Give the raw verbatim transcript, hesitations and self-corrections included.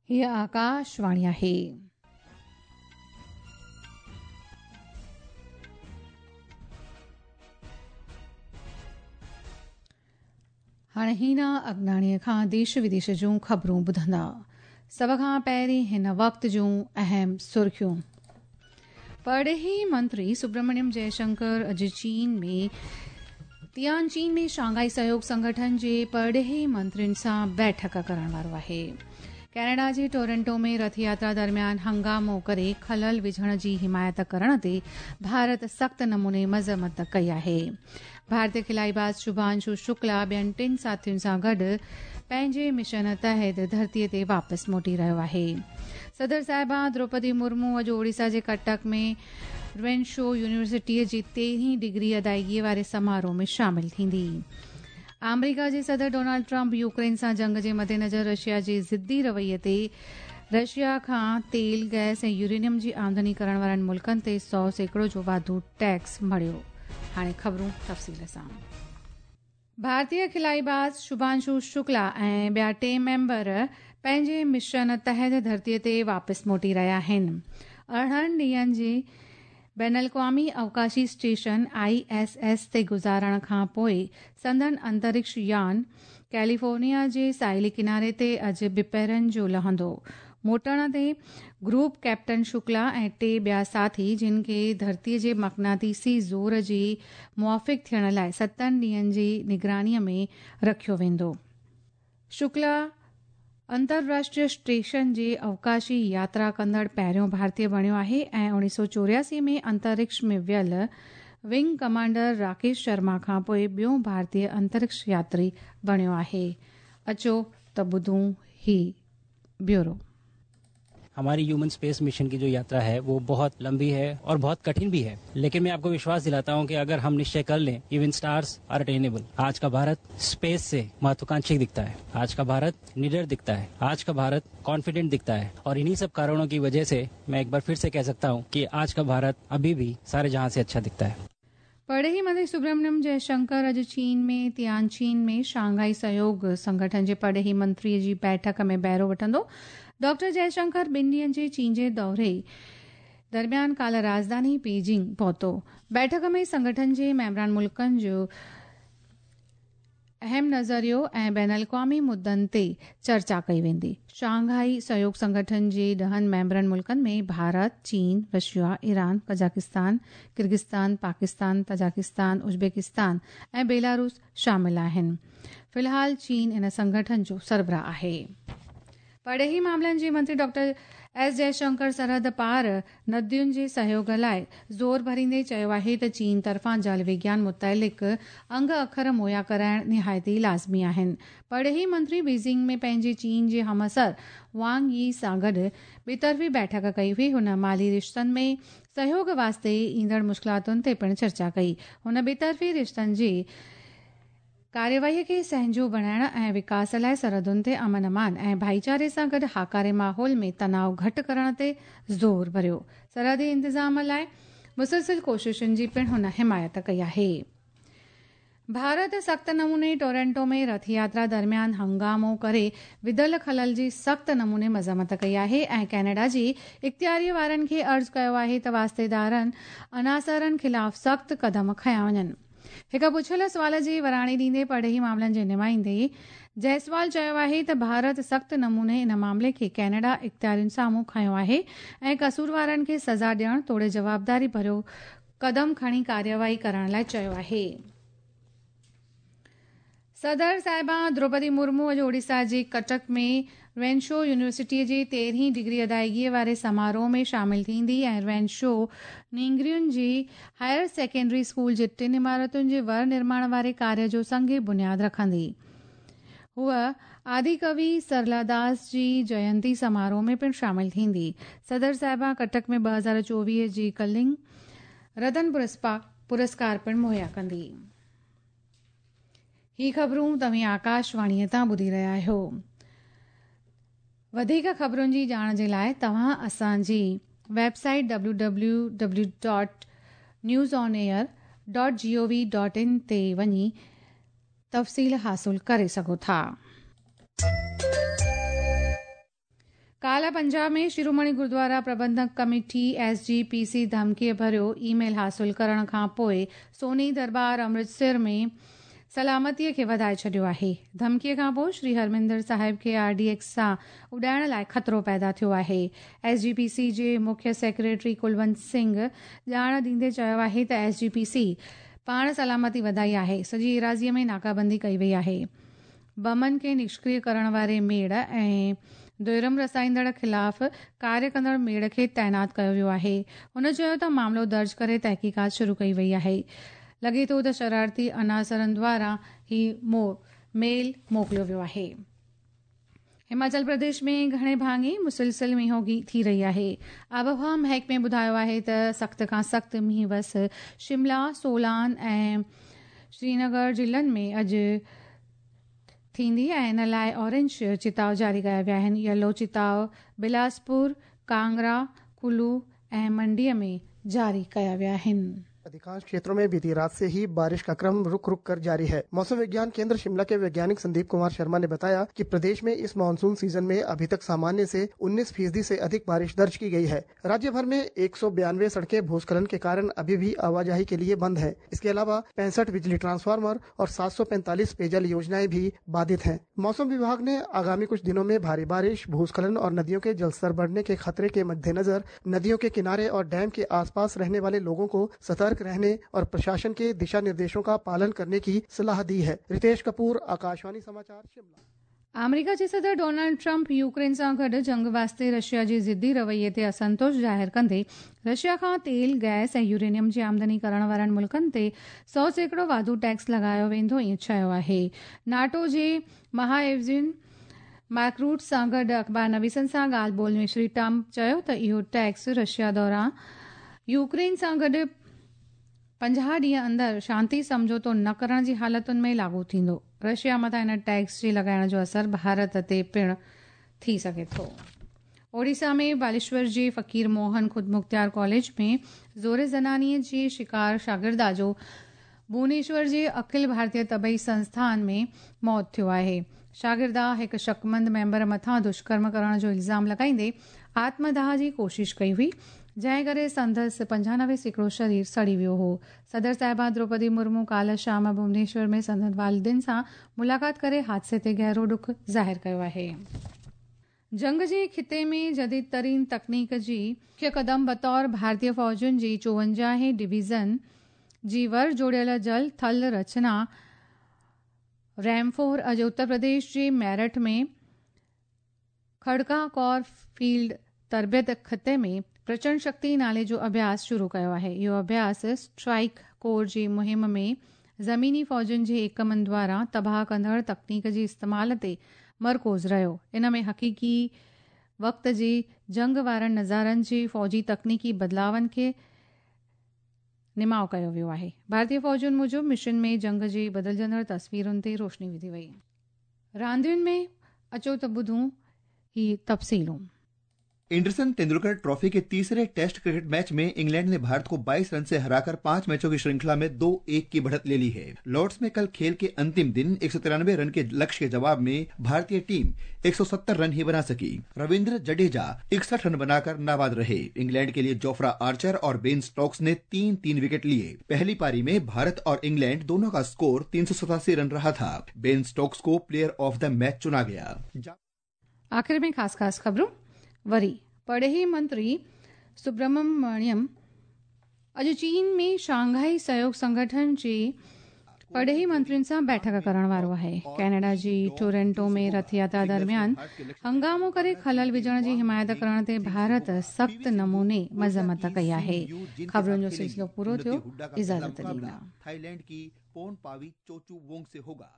हीअ आकाशवाणी आहे। हाणे हीना अगनाणीअ खां देश विदेश जूं ख़बरूं ॿुधंदा। सभ खां पहिरीं हिन वक़्त जूं अहम सुर्खियूं। परॾेही मंत्री सुब्रमण्यम जयशंकर अॼु चीन में तियानचीन में शांघाई सहयोग संगठन जे परॾेही मंत्रियुनि सां बैठक करण वारो आहे। कनाडा जे टोरंटो में रथ यात्रा दरमियान हंगामो करे खलल विझण जी हिमायत करण ते भारत सख़्त नमूने मज़म्मत कई आहे। भारतीय खिलाईबाज़ शुभांशु शुक्ला ॿियनि टिनि साथियुनि सां गॾु पंहिंजे मिशन तहत धरतीअ ते वापसि मोटी रहियो आहे। सदर साहिबा द्रौपदी मुर्मू अॼु ओडिशा जे कटक में रेनशो यूनिवर्सिटीअ जी तेरहीं डिग्री अदायगीअ वारे समारोह में शामिल थींदी। आमेरिका जे सदर डोनाल्ड ट्रंप यूक्रेन सां जंग जे मद्देनज़र रशिया जे ज़िद्दी रवैये ते रशिया खां तेल, गैस ऐं यूरेनियम जी आमदनी करण वारनि मुल्कनि ते सौ सैकड़ो जो वाधू टैक्स मढ़ियो। हाणे ख़बरूं तफ़सील सां। भारतीय खिलाईबाज़ शुभांशु शुक्ला ऐं ॿिया टे मेंबर पंहिंजे मिशन तहत धरतीअ ते वापसि मोटी रहिया आहिनि। अरिड़हनि ॾींहनि जी बैनुल अक़वामी अवकाशी स्टेशन I S S ते गुज़ारण खां पोइ संदन अंतरिक्ष यान कैलिफोर्निया जे साहिली किनारे ते अॼु ॿिपहरनि जो लहंदो। मोटण ते ग्रुप कैप्टन शुक्ला ऐं टे ॿिया साथी जिन खे धरतीअ जे मक़नातीसी ज़ोर जी मुआफ़िक़ थियण लाइ सतनि ॾींहनि जी निगरानीअ में रखियो वेंदो। शुक्ला अंतरराष्ट्रीय स्टेशन जे अवकाशी यात्रा कंदड़ पहिरियों भारतीय बणियो आहे ऐं उणिवीह सौ चोरियासी में अंतरिक्ष में वियल विंग कमांडर राकेश शर्मा खां पोइ ॿियो भारतीय अंतरिक्ष यात्री बणियो आहे। अचो त ॿुधूं ही ब्यूरो। हमारी ह्यूमन स्पेस मिशन की जो यात्रा है वो बहुत लंबी है और बहुत कठिन भी है, लेकिन मैं आपको विश्वास दिलाता हूं कि अगर हम निश्चय कर लें, इवन स्टार्स are attainable. आज का भारत स्पेस से महत्वाकांक्षी दिखता है, आज का भारत निडर दिखता है, आज का भारत कॉन्फिडेंट दिखता है और इन्हीं सब कारणों की वजह से मैं एक बार फिर से कह सकता हूँ कि आज का भारत अभी भी सारे जहां से अच्छा दिखता है। परॾेही मंत्री सुब्रमण्यम जयशंकर अॼु चीन में तियानचीन में शांघाई सहयोग संगठन जे परॾेही मंत्रीअ जी बैठक में बहिरो वठंदो। डॉक्टर जयशंकर ॿिनि ॾींहनि जे चीन जे दौरे दरमियान काल्ह राजधानी बीजिंग पहुतो। बैठक में संगठन जे मेंबरान मुल्कनि जो अहम नज़रियो ऐं बैनुल अक़वामी मुद्दनि ते चर्चा कई वेंदी। शांघाई सहयोग संगठन जे ॾहनि मेंबरनि मुल्कनि में भारत, चीन, Russia, Iran, Kazakhstan, Kyrgyzstan, Pakistan, Tajikistan, Uzbekistan ऐं बेलारूस शामिल आहिनि। फ़िलहाल चीन इन संगठन जो सरबराह आहे। परॾेही मामलनि जे मंत्री डॉक्टर एस जयशंकर सरहद पार नदियुनि जे सहयोग लाइ ज़ोर भरींदे चयो आहे त चीन तरफ़ां जल विज्ञान मुतइलिक़ अंग अखर मुहैया कराइण निहायत ई लाज़मी आहिनि। परॾेही मंत्री बीजिंग में पंहिंजे चीन जे हमअसर वांग यी सां गॾु ॿितरफ़ी बैठक कई हुई। हुन माली रिश्तनि में सहयोग वास्ते ईंदड़ मुश्किलातुनि ते पिणु चर्चा कई। हुन ॿितरफ़ी रिश्तनि जी कार्यवाहीअ खे सहजो बणाइण ऐं विकास लाइ सरहदुनि ते अमन अमान ऐं भाईचारे सां गॾु हाकारे माहौल में तनाव घटि करण ते ज़ोर भरियो। सरहदी इंतिज़ाम लाइ मुसलसिल कोशिशुनि जी पिणु हुन हिमायत कई आहे। भारत सख़्त नमूने टोरंटो में रथ यात्रा दरमियान हंगामो करे विधल खलल जी सख़्त नमूने मज़म्मत कई आहे ऐं कनाडा जी इख़्तियारीअ वारनि खे अर्ज़ कयो आहे त वास्तेदारनि अनासरनि ख़िलाफ़ सख़्त कदम खयां वञनि। हिकु पुछियल सुवाल जी वराणी ॾींदे परॾेही मामलनि जे नुमाइंदे जयसवाल चयो आहे त भारत सख़्त नमूने इन मामले खे कनाडा इख़्तियारियुनि साम्हूं खयो आहे ऐं कसूरवारनि खे सज़ा ॾियण तोड़े जवाबदारी भरियो कदम खणी कार्यवाही करण लाइ चयो आहे। सदर साहिबा द्रौपदी मुर्मू अॼु ओडिशा जे कटक में रेनशो यूनिवर्सिटीअ जे तेरहीं डिग्री अदायगीअ वारे समारोह में शामिल थींदी ऐं रेनशो नींगरियुनि जी हायर सेकेंडरी स्कूल जे टिनि इमारतुनि जे वर निर्माण वारे कार्य जो संग बुनियाद रखंदी। हूअ आदिकवि सरलादास जी जयंती समारोह में पिणु शामिल थींदी। सदर साहिबा कटक में ॿ हज़ार चोवीह जी कलिंग रतन पुरस्कार पिणु मुहैया कंदी। ही ख़बरूं तव्हीं आकाशवाणीअ तां ॿुधी रहिया आहियो। वधीक ख़बरुनि जी ॼाण जे लाइ तव्हां असांजी website W W W dot news on air dot G O V dot in ते वञी तफ़सील हासिल करे सघो था। काल्ह पंजाब में Shiromani Gurdwara Prabandhak committee S G P C धमकीअ भरियो ईमेल हासिल करण खां पोइ सोनी दरबार अमृतसर में सलामतीअ खे वधाए छॾियो आहे। धमकीअ खां पोइ श्री हरमिंदर साहिब खे आर डी एक्स सां उॾाइण लाइ ख़तरो पैदा थियो आहे। एस जी पी सी जे मुख्य सेक्रेटरी कुलवंत सिंह ॼाण ॾींदे चयो आहे त एस जी पी सी पाण सलामती वधाई आहे। सॼी एराज़ीअ में नाकाबंदी कई वई आहे। बमनि खे निष्क्रिय करण वारे मेड़ ऐं दुरम रसाईंदड़ ख़िलाफ़ कार्य कंदड़ मेड़ खे तैनात कयो वियो आहे। हुन चयो त मामिलो दर्ज करे तहक़ीक़ात शुरू कई वई आहे। लॻे थो त शरारती अनासरनि द्वारा ही मो मेल मोकिलियो वियो आहे। हिमाचल प्रदेश में घणे भाङे मुसलसिल मींहोगी थी रही आहे। आबहवा महकमे ॿुधायो आहे त सख़्त खां सख़्त मींहुं वस शिमला, सोलान ऐं श्रीनगर ज़िलनि में अॼु थींदी ऐं इन लाइ ऑरेंज चिताव जारी कया विया आहिनि। येलो चिताव बिलासपुर, कांगड़ा, कुल्लू ऐं मंडीअ में जारी कया विया आहिनि। अधिकांश क्षेत्रों में बीती रात से ही बारिश का क्रम रुक रुक कर जारी है। मौसम विज्ञान केंद्र शिमला के वैज्ञानिक संदीप कुमार शर्मा ने बताया कि प्रदेश में इस मानसून सीजन में अभी तक सामान्य से उन्नीस फीसदी से अधिक बारिश दर्ज की गई है। राज्य भर में एक सौ बयानवे सड़कें भूस्खलन के कारण अभी भी आवाजाही के लिए बंद है। इसके अलावा पैंसठ बिजली ट्रांसफार्मर और सात सौ पैंतालीस पेयजल योजनाएं भी बाधित है। मौसम विभाग ने आगामी कुछ दिनों में भारी बारिश, भूस्खलन और नदियों के जलस्तर बढ़ने के खतरे के मद्देनजर नदियों के किनारे और डैम के आसपास रहने वाले लोगों को सतर्क रहने और प्रशासन के दिशा निर्देशों का पालन करने की सलाह दी है। रितेश कपूर, आकाशवाणी समाचार, शिमला। अमेरिका जे सदर डोनाल्ड ट्रंप यूक्रेन सां गॾु जंग वास्ते रशिया जे ज़िद्दी रवैये ते असंतोष ज़ाहिर कंदे रशिया खां तेल, गैस ऐं यूरेनियम जी आमदनी करण वारनि मुल्कनि ते सौ सैकड़ो वाधू टैक्स लॻायो वेंदो ईअं चयो आहे। नाटो जे महाएवज़िन मार्क रूट सां गॾु अख़बार नवीसनि सां ॻाल्हि ॿोल में श्री ट्रंप चयो त इहो टैक्स रशिया दौरान यूक्रेन सां गॾु पंजाह ॾींहं अंदरि शांति सम्झौतो न करण जी हालतुनि में लागू थींदो। रशिया मथां हिन टैक्स जे लॻाइण जो असर भारत ते पिणु थी सघे थो। ओडिशा में बालेश्वर जे फ़क़ीर मोहन ख़ुदमुख़्तियार कॉलेज में ज़ोर ज़नानीअ जे शिकार शागिर्दा जो भुवनेश्वर जे अखिल भारतीय तबई संस्थान में मौत थियो आहे। शागिर्दा हिकु शकमंद मेंबर मथां दुष्कर्म करण जो इल्ज़ाम लॻाईंदे आत्मदाह जी कोशिश कई हुई, जंहिं करे संदसि पंजानवे सैकड़ो शरीर सड़ी वियो हो। सदर साहिबा द्रौपदी मुर्मू काल्ह शाम भुवनेश्वर में संदन वालिदिन सां मुलाक़ात करे हादसे ते गहरो ॾुख ज़ाहिर कयो आहे। जंग जे ख़िते में जदीद तरीन तकनीक जी मुख्य कदम बतौर भारतीय फ़ौजुनि जी चोवंजाहें डिवीज़न जी वर जोड़ियल जल थल रचना रैमफोर अॼु उत्तर प्रदेश जे मेरठ में खड़का कौर फील्ड तरबियत ख़िते में प्रचंड शक्ति नाले जो अभ्यास शुरू कयो आहे। इहो अभ्यास स्ट्राइक कोर जी मुहिम में ज़मीनी फ़ौजुनि जे एकमनि द्वारा तबाह कंदड़ तकनीक जे इस्तेमाल ते मरकूज़ रहियो। इन में हक़ीक़ी वक़्त जी जंग वारनि नज़ारनि जी फ़ौजी तकनीकी बदिलावनि खे निमाउ कयो वियो आहे। भारतीय फ़ौजुनि मूजिबि मिशन में जंग जी बदिलजंदड़ तस्वीरुनि ते रोशनी विधी वई। रांदियुनि में अचो त ॿुधूं ही तफ़सीलूं। एंडरसन तेंदुलकर ट्रॉफी के तीसरे टेस्ट क्रिकेट मैच में इंग्लैंड ने भारत को बाईस रन से हराकर पांच मैचों की श्रृंखला में दो एक की बढ़त ले ली है। लॉर्ड्स में कल खेल के अंतिम दिन एक सौ तिरानवे रन के लक्ष्य के जवाब में भारतीय टीम एक सौ सत्तर रन ही बना सकी। रविंद्र जडेजा इकसठ रन बनाकर नाबाद रहे। इंग्लैंड के लिए जोफ्रा आर्चर और बेन स्टोक्स ने तीन तीन विकेट लिए। पहली पारी में भारत और इंग्लैंड दोनों का स्कोर तीन सौ सतासी रन रहा था। बेन स्टोक्स को प्लेयर ऑफ the match चुना गया। आखिर में खास खास खबरों। वरी परॾेही मंत्री सुब्रमण्यम अॼु चीन में शांघाई सहयोग संगठन जे परॾेही मंत्रियुनि सां बैठक करण वारो आहे। कैनेडा जी टोरंटो में रथ यात्रा दरमियान हंगामो करे ख़लल विझण जी हिमायत करण ते भारत सख़्त नमूने मज़म्मत कई आहे। ख़बरुनि जो सिलसिलो पूरो थियो। इजाज़त ॾींदा। थाईलैंड की पोन पावी चोचू वोंग से होगा।